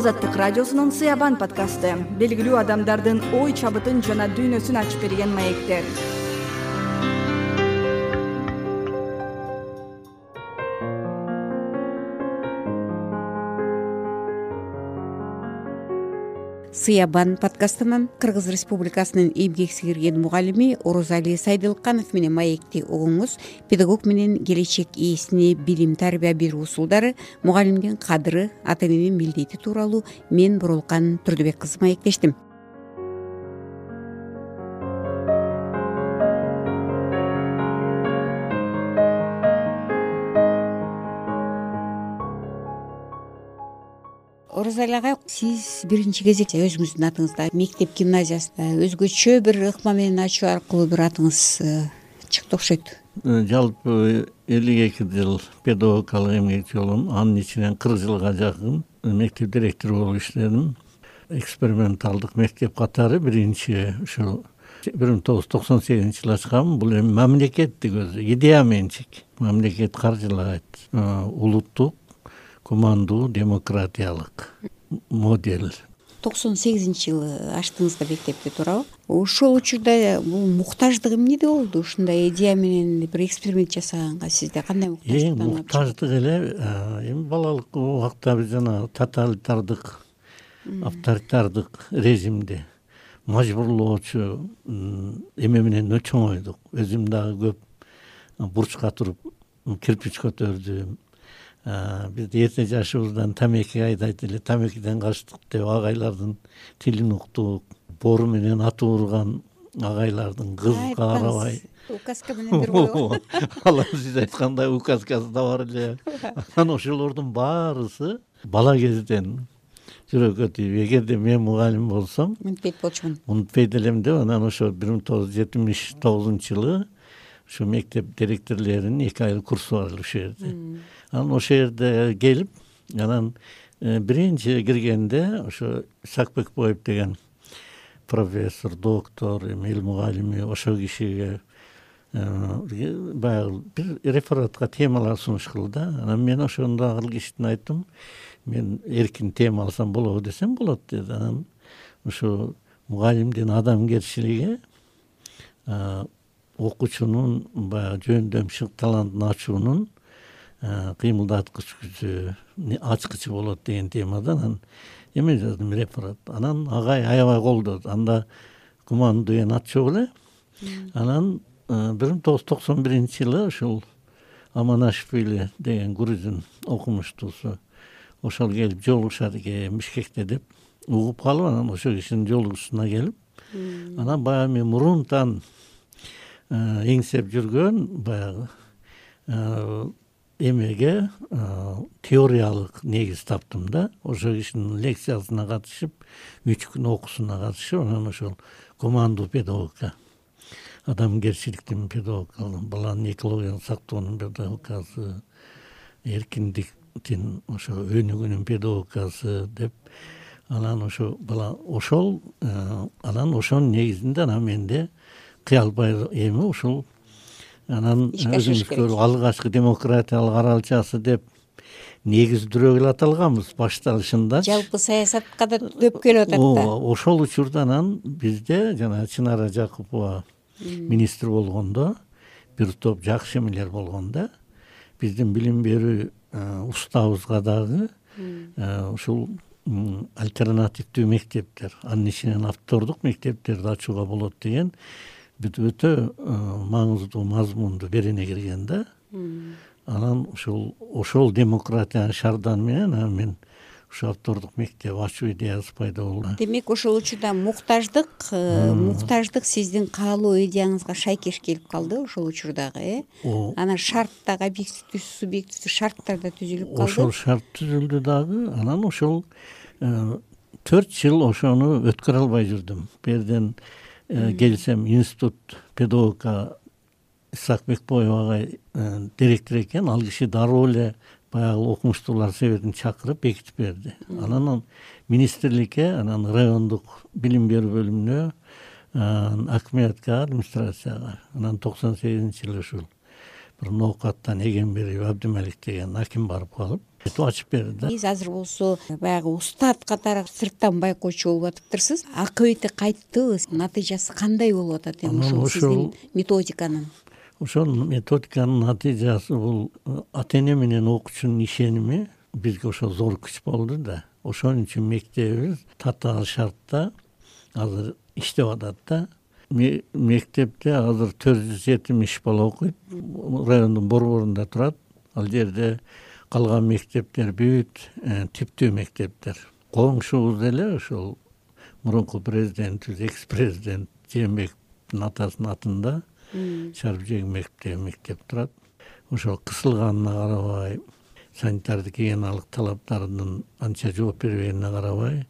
Азаттык радиосунун Сыябан подкасты. Белгилүү адамдардын ой чабытын жана дүйнөсүн ачып берген маектер. Сыябан подкастынан Кыргыз Республикасынын эмгек сиңирген мугалими Орозали Сайдылканов менен маекти угуңуз. Педагог менен келечек ээсине билим тарбия берүү усулдары, мугалимдин кадыры, ата эненин милдети тууралуу мен Боролкан Турдубек кызы маектештим. Орозали ага, сиз биринчи кезекте өзүңүздүн атыңызда мектеп гимназиясында өзгөчө бир ыкма менен ачуу аркылуу бир атыңыз чыкты окшойт. Жалпы 52 жыл педагогикалык эмгек жолум, анын ичинен 40 жылга жакын мектеп директору болуп иштедим. Эксперименталдык мектеп катары биринчи ушул 1998-жылы ачкам. Бул эми мамлекеттик өзү идея менчик. Мамлекет каржылайт. Улуттук командуу демократиялык модель. 98-жылы ачтыңыз да мектепти, туурабы? Ошол учурда бул муктаждык эмнеде болду? Ушундай идея менен бир эксперимент жасаганга сизде кандай муктаждык? Муктаждык эле эми балалык убакта биз жана тоталитардык, авторитардык режимди мажбурлоочу эме менен чоңойдук. Өзүм дагы көп бурчка туруп кирпич көтөрдүм. Бизде эрте жашыбыздан тамеки айдайт эле, тамекиден качтык деп агайлардын тилин уктук. Бору менен аты урган агайлардын кызга карабай указка менен бир койгон. Алар сиз айткандай указкасы да бар эле. Анан ошолордун баарысы бала кезден жүрөккө тийип, эгерде мен мугалим болсом унутпайт болчумун. Унутпайт элем деп, анан ошо 1979-жылы ушу мектеп директорлеринин 2 айлык курсу бар ушул жерде. Анан ошол жерде келип, анан биринчи киргенде ошо Сакбекбоев деген профессор, доктор, эл мугалими ошол кишиге баягы бир рефератка темалар сунуш кылды. Анан мен ошондо акыл кишитин айттым. Мен эркин тема алсам болобу десем, болот деди. Анан ушу мугалимдин адамгерчилиги, окуучунун баягы жөндөмчү талантын ачуунун кыймылдаткыч күчү, ачкычы болот деген темадан эме жаздым, реферат. Анан агай аябай колдоду. Анда Куман деген ат жок эле. Анан 1991-жылы ушул Аманашвили деген грузин окумуштуусу ошол келип жолугушат экен Бишкекте деп угуп калып, анан ошол кишинин жолугушуусуна келип, анан баягы мен мурунтан эңсеп жүргөн баягы эмеге теориялык негиз таптым да. Ошол кишинин лекциясына катышып, 3 күн окуусуна катышып, анан ошол командуу педагогика, адамгерчиликтин педагогикасы, баланын экологияны сактоонун педагогикасы, эркиндиктин ошо өнүгүүнүн педагогикасы деп, анан ошо бала ошол анан ошонун негизинде анан менде кыялбай эми ушул анан өзүңүз көрүп алгачкы демократиялык аралчасы деп негиздирөө эле аталганбыз башталышында. Жалпы саясатка да дөп келип атат да. Ошол учурда анан бизде жана Чынара Жакупова министр болгондо бир топ жакшы эмелер болгон да. Биздин билим берүү устабыбызга дагы ушул альтернативдүү мектептер, анын ичинен автордук мектептерди ачууга болот деген өтө маңыздуу мазмунду берене кирген да. Анан ошол демократиянын шарданы менен мен ушу автордук мектеп ачуу идеясы пайда болду. Демек ошол учурда муктаждык сиздин каалоо идеяңызга шайкеш келип калды ошол учурдагы, Анан шарт дагы объективдүү, субъективдүү шарттар да түзүлүп калды. Ошол шарт түзүлдү дагы. Анан ошол 4 жыл ошону өткөрө албай жүрдүм. Бу жерден келсем, институт педагогика Сакбекбоев агай директор экен, ал киши дароо эле баягы окумуштуулар советин чакырып бекитип берди. Анан министрликке, анан райондук билим берүү бөлүмүнө, акметке, администрацияга. Анан 98-жылы ушул бир ноокаттан Эгембериев Абдымалик деген аким барып калып, ачып берди да. Сиз азыр болсо баягы устат катары сырттан байкоочу болуп атыптырсыз. Акыбети кайттыбы? Натыйжасы кандай болуп атат эми ушул сиздин методиканын? Ошол методиканын натыйжасы бул ата эне менен окуучунун ишеними бизге ошол зор күч болду да. Ошон үчүн мектебибиз татаал шартта азыр иштеп атат да. Мектепте азыр 470 бала окуйт. Райондун борборунда турат. Ал жерде калган мектептер бүт типтүү мектептер. Коңшубуз деле ошол мурунку президентибиз, экс-президент Жээнбековдун атасынын атында Шарбжег мектеп турат. Ошол кысылганына карабай, санитардык гигиеналык талаптарынын анча жооп бербегенине карабай,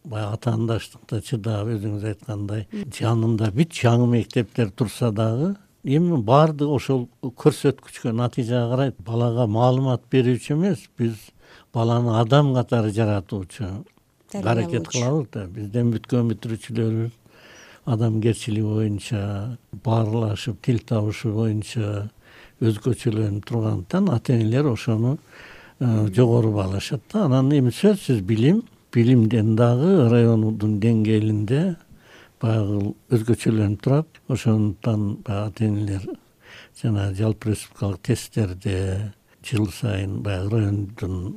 баягы атаандаштыкта чыдап, өзүңүз айткандай, жанында бүт жаңы мектептер турса дагы, эми баардыгы ошол көрсөткүчкө, натыйжага карайт. Балага маалымат берүүчү эмес, биз баланы адам катары жаратуучу аракет кылабыз да. Бизден бүткөн бүтүрүүчүлөрүбүз адамгерчилиги боюнча, баарлашып, тил табышы боюнча өзгөчөлөнүп тургандыктан ата энелер ошону жогору баалашат да. Анан эми сөзсүз билимден дагы райондун деңгээлинде баягы өзгөчөлөнүп турат. Ошондуктан ата энелер жана жалпы республикалык тесттерде жыл сайын баягы райондун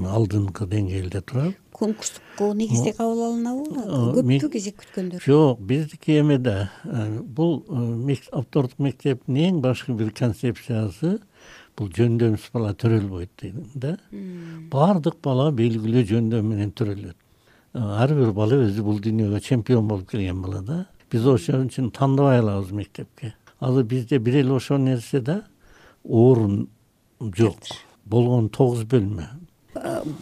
алдыңкы деңгээлде турат. Конкурстук негизде кабыл алынабы? Көппү кезек күткөндөр? Жок, биздики эмеде бул автордук мектептин эң башкы бир концепциясы бул жөндөмсүз бала төрөлбөйт дейт да. Баардык бала белгилүү жөндөм менен төрөлөт. Ар бир бала өзү бул дүйнөгө чемпион болуп келген бала да. Биз ошон үчүн тандабай алабыз мектепке. Азыр бизде бир эле ошол нерсе да, орун жок. Болгон 9 бөлмө.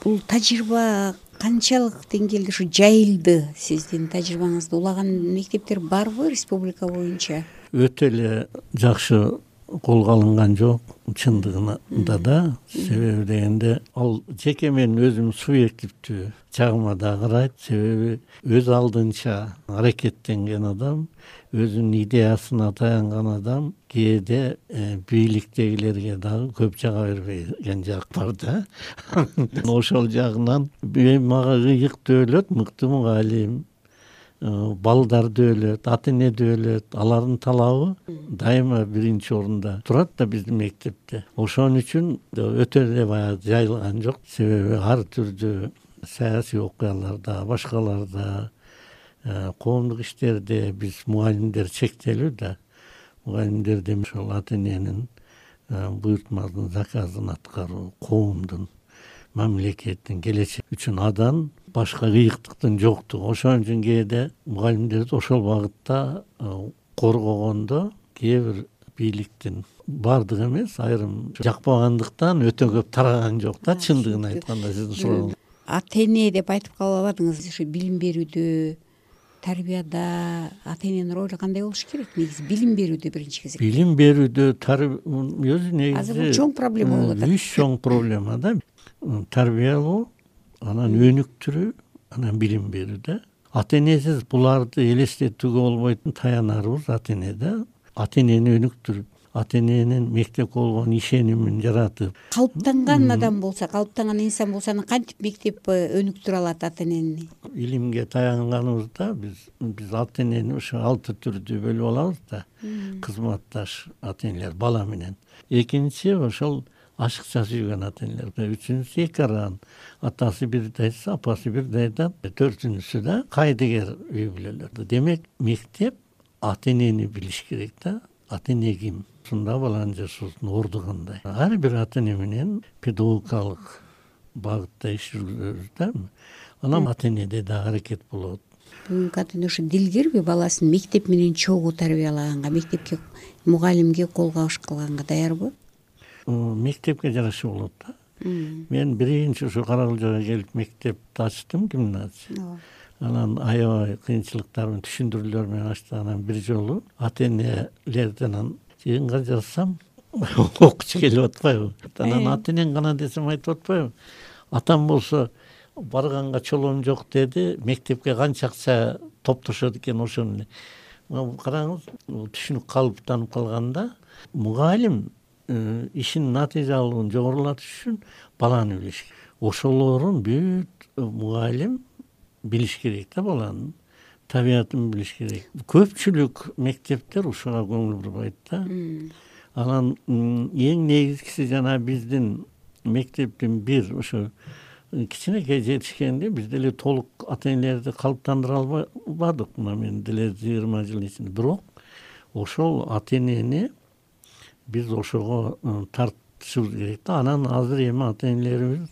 Бул тажрыйба канчалык деңгээлде ушу жайылды? Сиздин тажрыйбаңызда улаган мектептер барбы республика боюнча? Өтө эле жакшы колго алынган жок чындыгында да. Себеби дегенде ал жеке менин өзүмдүн субъективдүү жагыма да карайт. Себеби өз алдынча аракеттенген адам, өзүнүн идеясына таянган адам кээде бийликтегилерге дагы көп жага бербеген жак бар да. Ошол жагынан мага ыйык дөөлөт, мыкты мугалим, балдар өлөт, ата эне өлөт, алардын талабы дайыма биринчи орунда турат да биздин мектепте. Ошон үчүн өтө эле баягы жайылган жок. Себеби ар түрдүү саясий окуяларда, башкаларда, коомдук иштерде биз мугалимдер чектелүү да. Мугалимдердин ошол ата эненин буйртмасын, заказын аткаруу, коомдун, мамлекеттин келечеги үчүн адан башка ыйыктыктын жоктугу. Ошон үчүн кээде мугалимдерди ошол багытта коргогондо кээ бир бийликтин баардыгы эмес, айрым жакпагандыктан өтө көп тараган жок да, чындыгын айтканда сиздин сурооңуз. Ата эне деп айтып калбадыңыз. Ушу билим берүүдө, тарбияда ата эненин ролу кандай болуш керек? Негизи билим берүүдө биринчи кезекте. Билим берүүдө өзү негизи азыр бул чоң проблема болуп атат. Үч чоң проблема да. Тарбиялоо, анан өнүктүрүү, анан билим берүү да. Ата энесиз буларды элестетүүгө болбойтун таянарыбыз ата эне да. Ата энени өнүктүрүп, ата эненин мектепке болгон ишенимин жаратып. Калыптанган адам болсо, калыптанган инсан болсо, анан кантип мектеп өнүктүрө алат ата энени? Илимге таянганыбызда биз ата энени ошо 6 түрдүү бөлүп алабыз да. Кызматташ ата энелер бала менен. Экинчи ошол ашыкча сүйгөн ата энелер. Үчүнчүсү эки аран. Атасы бирди айтса, апасы бирди айтат. Төртүнчүсү да кайдыгер үй бүлөлөр. Демек, мектеп ата энени билиш керек да. Ата эне ким? Ушунда баланын жашоосунун орду кандай? Ар бир ата эне менен педагогикалык багытта иш жүргүзөбүз да. Анан ата энеде да аракет болот. Бүгүнкү ата эне ушу дилгерби? Баласын мектеп менен чогуу тарбиялаганга, мектепке, мугалимге кол кабыш кылганга даярбы? Мектепке жараша болот да. Мен биринчи ушу Каракылжага келип мектепти ачтым, гимназия. Анан аябай кыйынчылыктар менен, түшүндүрүүлөр менен ачтым. Анан бир жолу ата энелерден жыйынга жазсам окуучу келип атпайбы? Анан ата энең гана десем айтып атпайбы? Атам болсо барганга чолоом жок деди, мектепке канча акча топтошот экен ошону. Караңыз, түшүнүк калыптанып калганда мугалим ишин натыйжалуулугун жогорулатыш үчүн баланы билиш керек. Ошолорун бүт мугалим билиш керек да, баланын табиятын билиш керек. Көпчүлүк мектептер ушуга көңүл бурбайт да. Анан эң негизгиси жана биздин мектептин бир ошо кичинекей жетишкенде биз деле толук ата-энелерди калыптандыра албадык, мына мен деле 20 жыл ичинде. Бирок ошол ата-энени биз ошого тартышыбыз керек да. Анан азыр эми ата-энелерибиз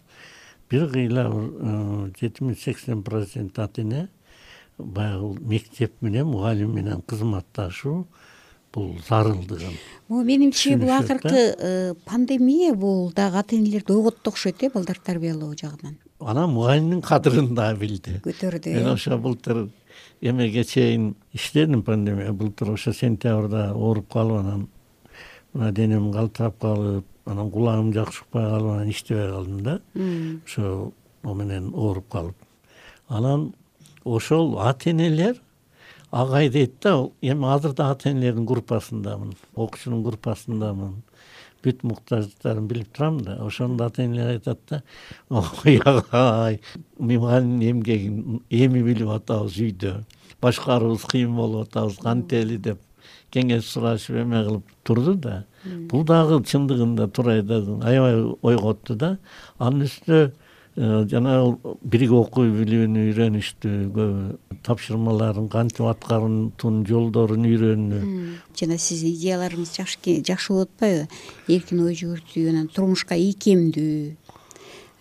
бир кыйла 70-80% ата-эне баягы мектеп менен мугалим менен кызматташуу бул зарылдыгын. Менимче бул акыркы пандемия бул дагы ата-энелерди ойготту окшойт балдар тарбиялоо жагынан. Анан мугалимдин кадырын да билди, көтөрдү. Мен ошо былтыр эмеге чейин иштедим, пандемия былтыр ошо сентябрда ооруп калып, анан мына денем калтырап калып, анан кулагым жакшы укпай калып, анан иштебей калдым да. Ошо менен ооруп калып. Анан ошол ата-энелер агай дейт да, эми азыр да ата-энелердин группасындамын, окуучунун группасындамын. Бүт муктаждыктарын билип турам да. Ошондо ата-энелер айтат да, ой агай, мугалимдин эмгегин эми билип атабыз үйдө. Башкарууубуз кыйын болуп атабыз, кантели деп кеңеш сурашып эме кылып турду да. Бул дагы чындыгында турай да аябай ойготту да. Анын үстүнө жана бирге окуй билүүнү үйрөнүштү, көбү тапшырмаларын кантип аткаруунун жолдорун үйрөнүү. Жана сиз идеяларыңыз жакшы болуп атпайбы? Эркин ой жүгүртүү, анан турмушка ийкемдүү,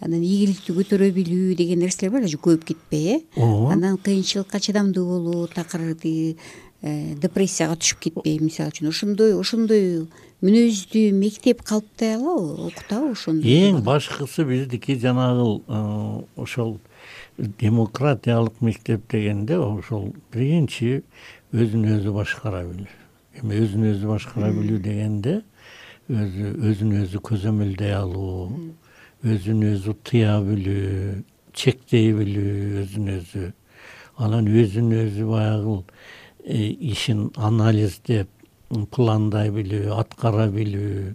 анан ийгиликти көтөрө билүү деген нерселер бар, көбүп кетпей, Анан кыйынчылыкка чыдамдуу болуу, такыр депрессияга түшүп кетпей, мисалы үчүн ошондой мүнөздүү мектеп калыптай алабы, окутабы ошондой? Эң башкысы биздики жанагы ошол демократиялык мектеп дегенде ошол биринчи өзүн өзү башкара билүү. Эми өзүн өзү башкара билүү дегенде өзүн өзү көзөмөлдөй алуу, өзүн өзү тыя билүү, чектей билүү, өзүн өзү. Анан өзүн өзү баягы ишин анализдеп, пландай билүү, аткара билүү.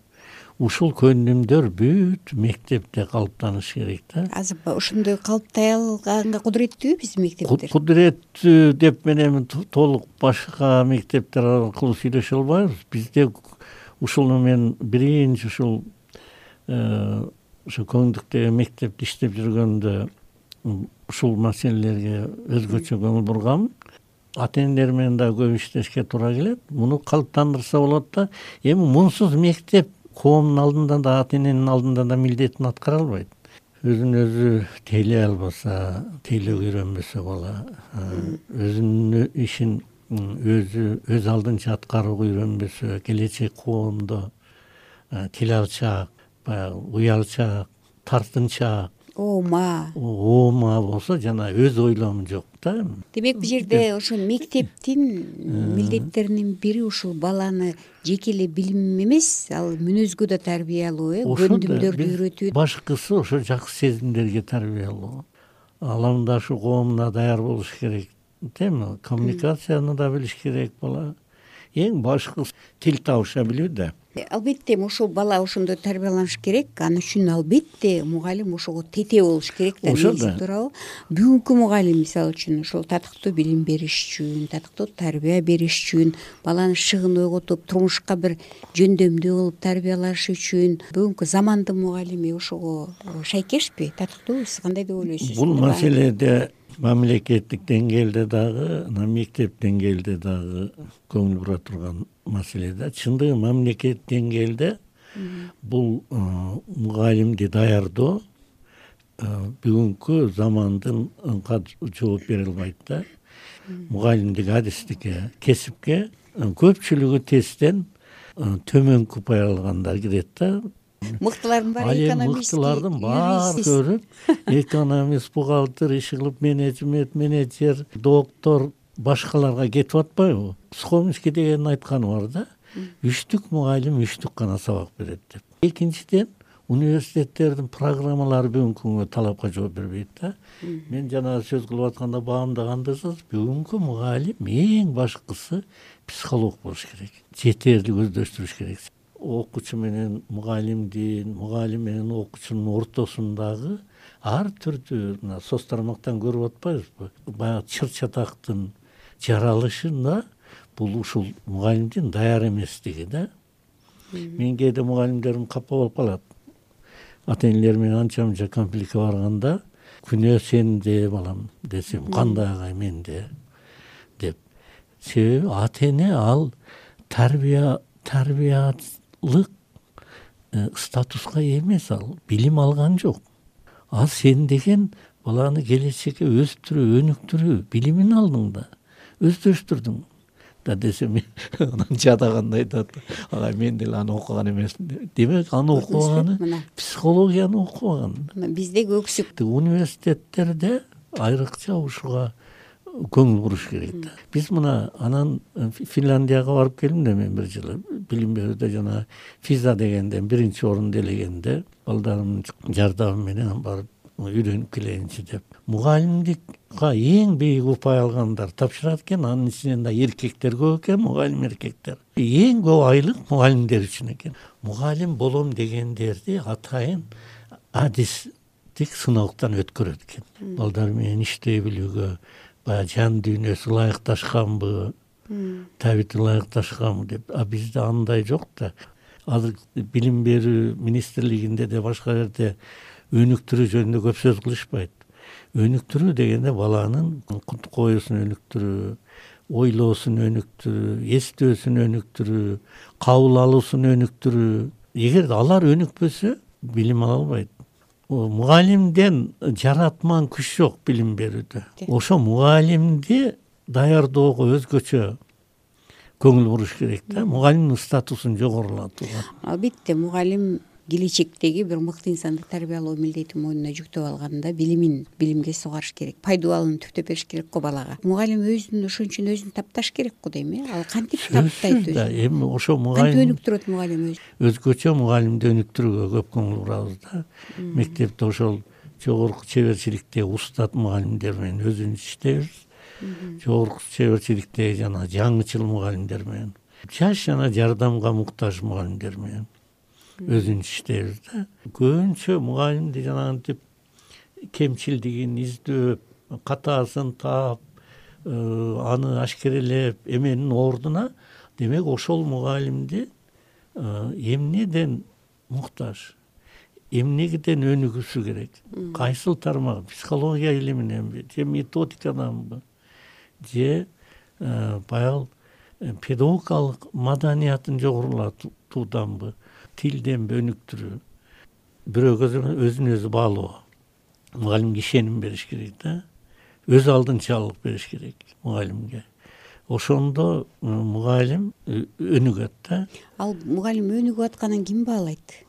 Ушул көндүмдөр бүт мектепте калыптаныш керек да. Азыр ошондой калыптай алганга кудуреттүүбү биздин мектептер? Кудуреттүү деп мен эми толук башка мектептер аркылуу сүйлөшө албайбыз. Бизде ушуну мен биринчи ушул Көңдүктөгү мектепте иштеп жүргөндө ушул маселелерге өзгөчө көңүл бургам. Ата-энелер менен да көп иштешке туура келет. Муну калыптандырса болот да. Эми мунсуз мектеп коомдун алдында да, ата-эненин алдында да милдетин аткара албайт. Өзүн өзү тейлей албаса, тейлөөгө үйрөнбөсө бала, өзүнүн ишин өз алдынча аткарууга үйрөнбөсө, келечек коомдо тил алчаак, баягы уялчаак, тартынчаак, оома болсо жана өз ойлому жок да. Демек бул жерде ошол мектептин милдеттеринин бири ушул баланы жеке эле билим эмес, ал мүнөзгө да тарбиялоо, көндүмдөрдү үйрөтүү. Башкысы ошо жакшы сезимдерге тарбиялоо. Аламдашу коомуна даяр болуш керек, теми коммуникацияны да билиш керек бала. Эң башкысы тил табыша билүү да. Албетте ошол бала ошондой тарбияланыш керек. Ал үчүн албетте мугалим ошого тете болуш керек да. Туурабы? Бүгүнкү мугалим мисалы үчүн ошол татыктуу билим бериш үчүн, татыктуу тарбия бериш үчүн, баланы шыгын ойготуп, турмушка бир жөндөмдүү кылып тарбиялаш үчүн бүгүнкү замандын мугалими ошого шайкешпи, татыктуубу? Сиз кандай деп ойлойсуз? Бул маселеде мамлекеттик деңгээлде дагы, мектеп деңгээлде дагы көңүл бура турган маселе да. Чындыгы мамлекет деңгээлде бул мугалимди даярдоо бүгүнкү замандын жооп бере албайт да. Мугалимдик адистикке, кесипке көпчүлүгү тесттен төмөнкү упай алгандар кирет да. Мыктылардын баары экономист, мыктылардын баары көрүп, экономист, бухгалтер, иш кылып, менеджер, доктор, башкаларга кетип атпайбы? Схомский деген айтканы бар да. 3 мугалим 3 гана сабак берет деп. Экинчиден, университеттердин программалары бүгүнкү күнгө талапка жооп бербейт да. Мен жана сөз кылып атканда баамдагандырсыз, бүгүнкү мугалим эң башкысы психолог болуш керек. Жетерлик өздөштүрүш керек. окуучу менен мугалимдин, мугалим менен окуучунун ортосундагы ар түрдүү мына соц тармактан көрүп атпайбызбы, баягы чыр чатактын жаралышында бул ушул мугалимдин даяр эместиги да. Мен кээде мугалимдерим капа болуп калат. Ата энелер менен анча мынча конфликтке барганда, күнөө сенде балам десем, кандай агай менде деп. Себеби ата эне ал тарбиялык статуска ээ эмес, ал билим алган жок. Ал сен деген баланы келечекке өстүрүү, өнүктүрүү билимин алдың да, өздөрүштүрдүң да десем, анан жадагандай айтат, агай мен деле аны окуган эмесмин. Демек аны окубаганы психологияны окубаган. Биздеги өксүк университеттерде айрыкча ушуга көңүл буруш керек да. Биз мына анан Финляндияга барып келдим да мен бир жылы билим берүүдө, жана физа дегенден 1-орунду элегенде балдарымдын жардамы менен барып үйрөнүп келейинчи деп. Мугалимдикка эң бийик упай алгандар тапшырат экен, анын ичинен да эркектер көп экен, мугалим эркектер. Эң көп айлык мугалимдер үчүн экен. Мугалим болом дегендерди атайын адистик сыналыктан өткөрөт экен. Балдар менен иштей билүүгө, баягы жан дүйнөсү ылайыкташканбы, табити ылайыкташканбы деп. А бизде андай жок да. Азыр билим берүү министрлигинде де башка жерде өнүктүрүү жөнүндө көп сөз кылышпайт. Өнүктүрүү дегенде баланын кутук оюсун өнүктүрүү, ойлоосун өнүктүрүү, эстөөсүн өнүктүрүү, кабыл алуусун өнүктүрүү. Эгер алар өнүкпөсө, билим ала албайт. Мугалимден жаратман күч жок билим берүүдө. Ошо мугалимди даярдоого өзгөчө көңүл буруш керек да, мугалимдин статусун жогорулатууга. Албетте, мугалим келечектеги бир мыкты инсанды тарбиялоо милдетин мойнуна жүктөп алганда билимге сугарыш керек, пайдубалын түптөп бериш керек го балага. Мугалим ошон үчүн өзүн тапташ керек го дейм, ал кантип таптайт өзүн? Эми ошо мугалим кантип өнүктүрөт мугалим өзүн? Өзгөчө мугалимди өнүктүрүүгө көп көңүл бурабыз да. Мектепте ошол жогорку чеберчиликтеги устат мугалимдер менен өзүбүз иштейбиз. Жогорку чеберчиликтеги жана жаңычыл мугалимдер менен, жаш жана жардамга муктаж мугалимдер менен өзүнчө иштейбиз да. Көбүнчө мугалимди жанагынтип кемчилдигин издөөп, катаасын таап, аны ашкерелеп эменин ордуна, демек ошол мугалимди эмнеден муктаж, эмнеден өнүгүүсү керек? Кайсыл тармак? Психология илиминенби, же методикаданбы, же баягы педагогикалык маданиятын жогорулатууданбы, тилденби өнүктүрүү, бирөөгө өзүн өзү баалоо. Мугалимге ишеним бериш керек да, өз алдынчалык бериш керек мугалимге. Ошондо мугалим өнүгөт да. Ал мугалим өнүгүп атканын ким баалайт?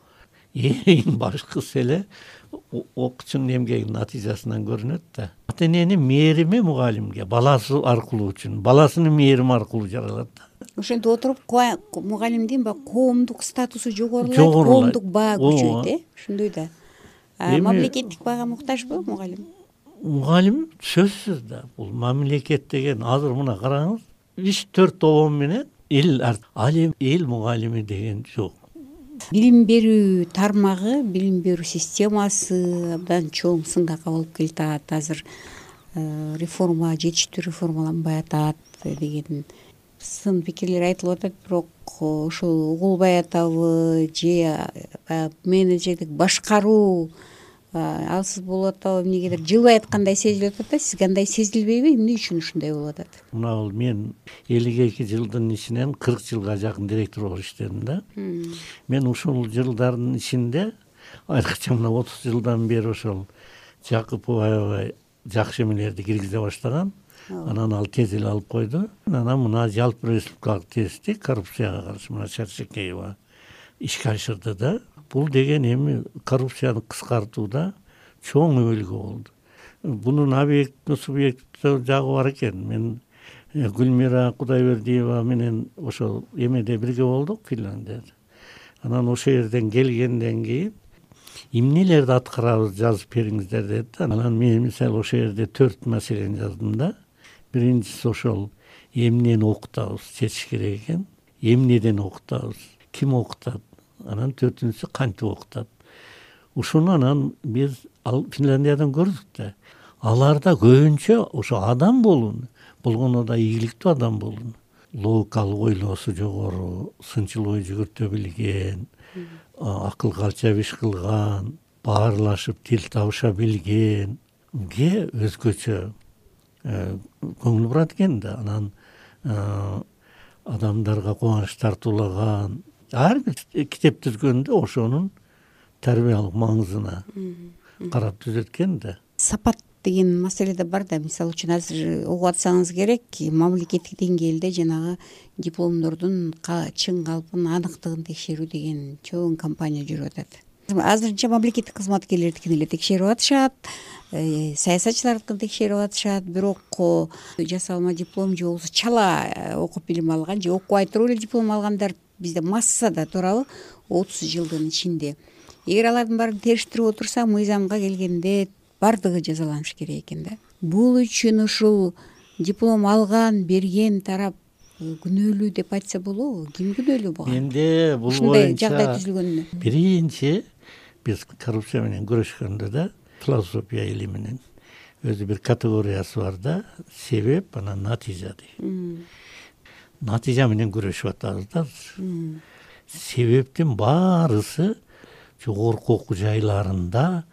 Эң башкысы эле окуучунун эмгегинин натыйжасынан көрүнөт да. Ата эненин мээрими мугалимге баласы аркылуу үчүн, баласынын мээрими аркылуу жаралат да. Ошентип отуруп мугалимдин коомдук статусу жогорулайт, коомдук баа күчөйт, ошондой да. Мамлекеттик баага муктажбы мугалим? Мугалим сөзсүз да. Бул мамлекет деген азыр мына караңыз, 3-4 обон менен ал эл мугалими деген жок. Билим берүү тармагы, билим берүү системасы абдан чоң сынга кабылып келатат. Азыр реформа жетиштүү реформаланбай атат деген сын пикирлер айтылып атат, бирок ошол угулбай атабы, же менеджерлик башкаруу алсыз болуп атабы, эмнегедир жылбай аткандай сезилип атат да. Сизге андай сезилбейби? Эмне үчүн ушундай болуп атат? Мына бул мен 52 жылдын ичинен 40 жылга жакын директор болуп иштедим да. Мен ушул жылдардын ичинде айрыкча мына 30 жылдан бери ошол Жакыпов аябай жакшы эмелерди киргизе баштаган. Анан ал тез эле алып койду. Анан мына жалпы республикалык тести коррупцияга каршы мына Чарчекеева ишке ашырды да. Бул деген эми коррупцияны кыскартууда чоң өбөлгө болду. Бунун объект субъект жагы бар экен. Мен Гүлмира Кудайбердиева менен ошол эмеде бирге болдук Финляндияда. Анан ошол жерден келгенден кийин эмнелерди аткарабыз жазып бериңиздер деди да. Анан мен мисалы ошол жерде 4 маселени жаздым да. Биринчиси ошол эмнени окутабыз чечиш керек экен. Эмнеден окутабыз? ким окутат, анан төртүнчүсү кантип окутат. Ушуну анан биз Финляндиядан көрдүк да. Аларда көбүнчө ошо адам болгондо да ийгиликтүү адам болуну, логикалык ойлоосу жогору, сынчыл ой жүгүртө билген, акыл калча иш кылган, баарлашып тил табыша билгенге өзгөчө көңүл бурат экен да. Анан адамдарга кубаныч тартуулаган, ар бир китеп түзгөндө ошонун тарбиялык маңызына карап түзөт экен да. Сапат деген маселе да бар да. Мисалы үчүн азыр угуп атсаңыз керек, мамлекеттик деңгээлде жанагы дипломдордун чын калпын, аныктыгын текшерүү деген чоң кампания жүрүп атат. Азырынча мамлекеттик кызматкерлердикин эле текшерип атышат, саясатчылардыкын текшерип атышат, бирок жасалма диплом же болбосо чала окуп билим алган же окубай туруп эле диплом алгандар бизде массада туурабы 30 жылдын ичинде. Эгер алардын баарын териштирип отурса, мыйзамга келгенде бардыгы жазаланышы керек экен да. Бул үчүн ушул диплом алган, берген тарап күнөөлүү деп айтса болобу? Ким күнөөлүү буга? Менде бул ушундай жагдай түзүлгөнүнө. Биринчи биз коррупция менен күрөшкөндө да философия илиминин өзү бир категориясы бар да, себеп анан натыйжа деген. Натыйжа менен күрөшүп атабыз да. Себептин баарысы жогорку окуу жайларында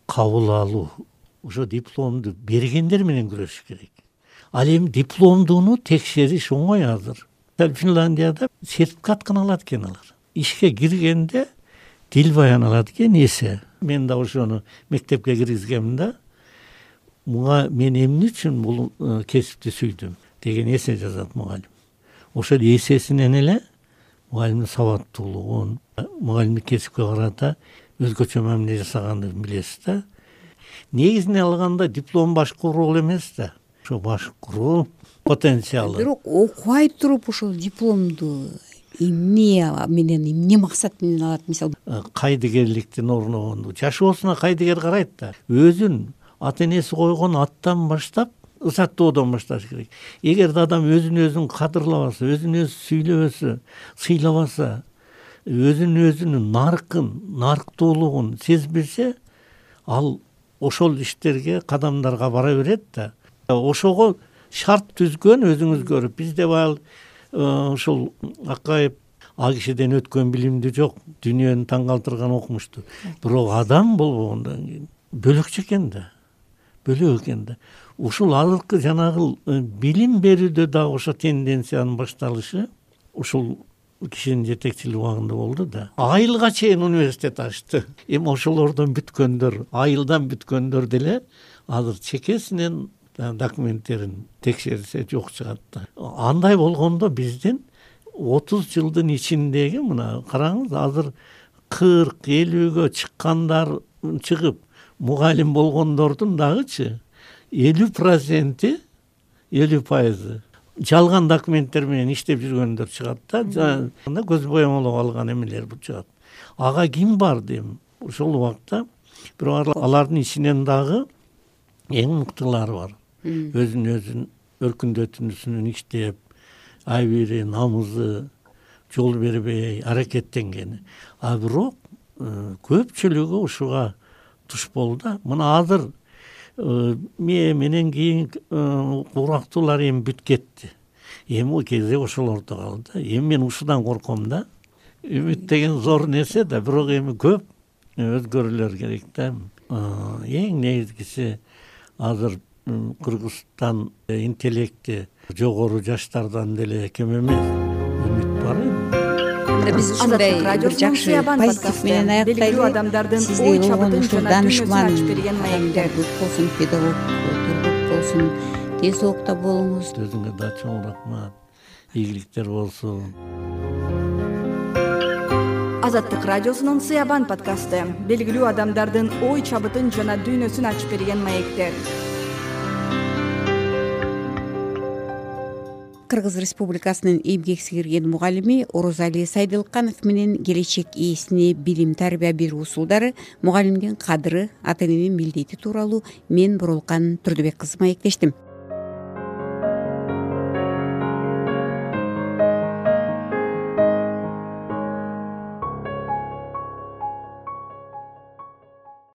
кабыл алуу, ошо дипломду бергендер менен күрөшүш керек. Ал эми дипломдуну текшериш оңой азыр. Финляндияда сертификат гана алат экен алар. Ишке киргенде тил баян алат экен эсе. Мен да ошону мектепке киргизгемин да. Муга мен эмне үчүн бул кесипти сүйдүм деген эсе жазат мугалим. Ошол эсесинен эле мугалимдин сабаттуулугун, мугалимдик кесипке карата өзгөчө мамиле жасагандыгын билесиз да. Негизине алганда диплом башкаруу эмес да. Ошо башкаруу потенциалы. Бирок окубай туруп ошол дипломду эмне менен, эмне максат менен алат? Мисалы, кайдыгерликтин орногонду жашоосуна кайдыгер карайт да. Өзүн ата энеси койгон аттан баштап ысаттоодон башташ керек. Эгерде адам өзүн кадырлабаса, өзүн өзү сүйлөбөсө, сыйлабаса, өзүнүн нарыктуулугун сезбесе, ал ошол иштерге, кадамдарга бара берет да. Ошого шарт түзгөн өзүңүз көрүп, бизде баягы ушул Акаев ал кишиден өткөн билимди жок, дүйнөнү таң калтырган окумушту. Бирок адам болбогондон кийин бөлөкчө экен да. Бөлөк экен да. Ушул азыркы жанагы билим берүүдө дагы ошо тенденциянын башталышы ушул кишинин жетекчилиги убагында болду да. Айылга чейин университет ачты. Эми ошолордон бүткөндөр, айылдан бүткөндөр деле азыр чекесинен документтерин текшерсе жок чыгат да. Андай болгондо биздин 30 жылдын ичиндеги мына караңыз, азыр 40-50гө чыккандар чыгып мугалим болгондордун дагычы 50% жалган документтер менен иштеп жүргөндөр чыгат да. Көз боямалоо алган эмелер бул чыгат. Ага ким барды эми? Ошол убакта бирок алардын ичинен дагы эң мыктылары бар. Өзүн өркүндөтүүсүнөн иштеп, айбири, намызы жол бербей аракеттенген. А бирок көпчүлүгү ушуга туш болду. Мына азыр менен кийин курактуулар эми бүт кетти. Эми у кезде ошолордо калды. Эми мен ушудан корком да. Үмүт деген зор нерсе да, бирок эми көп өзгөрүүлөр керек да. Эң негизгиси азыр Кыргызстан интеллекти жогору жаштардан деле кем эмес. Үмүт бар эми. Биз ушундай бир жакшы позитив менен аяктайлы. Сизде болгон ушул данышман болсун, педагог болсун, тез окута болуңуз. Өзүңө да чоң рахмат. Ийгиликтер болсун. Азаттык радиосунун Сыябан подкасты белгилүү адамдардын ой чабытын жана дүйнөсүн ачып берген маектер. Кыргыз Республикасынын эмгек сиңирген мугалими Орозали Сайдылканов менен келечек ээсине билим тарбия берүү усулдары, мугалимдин кадыры, ата эненин милдети тууралуу мен Боролкан Турдубек кызы маектештим.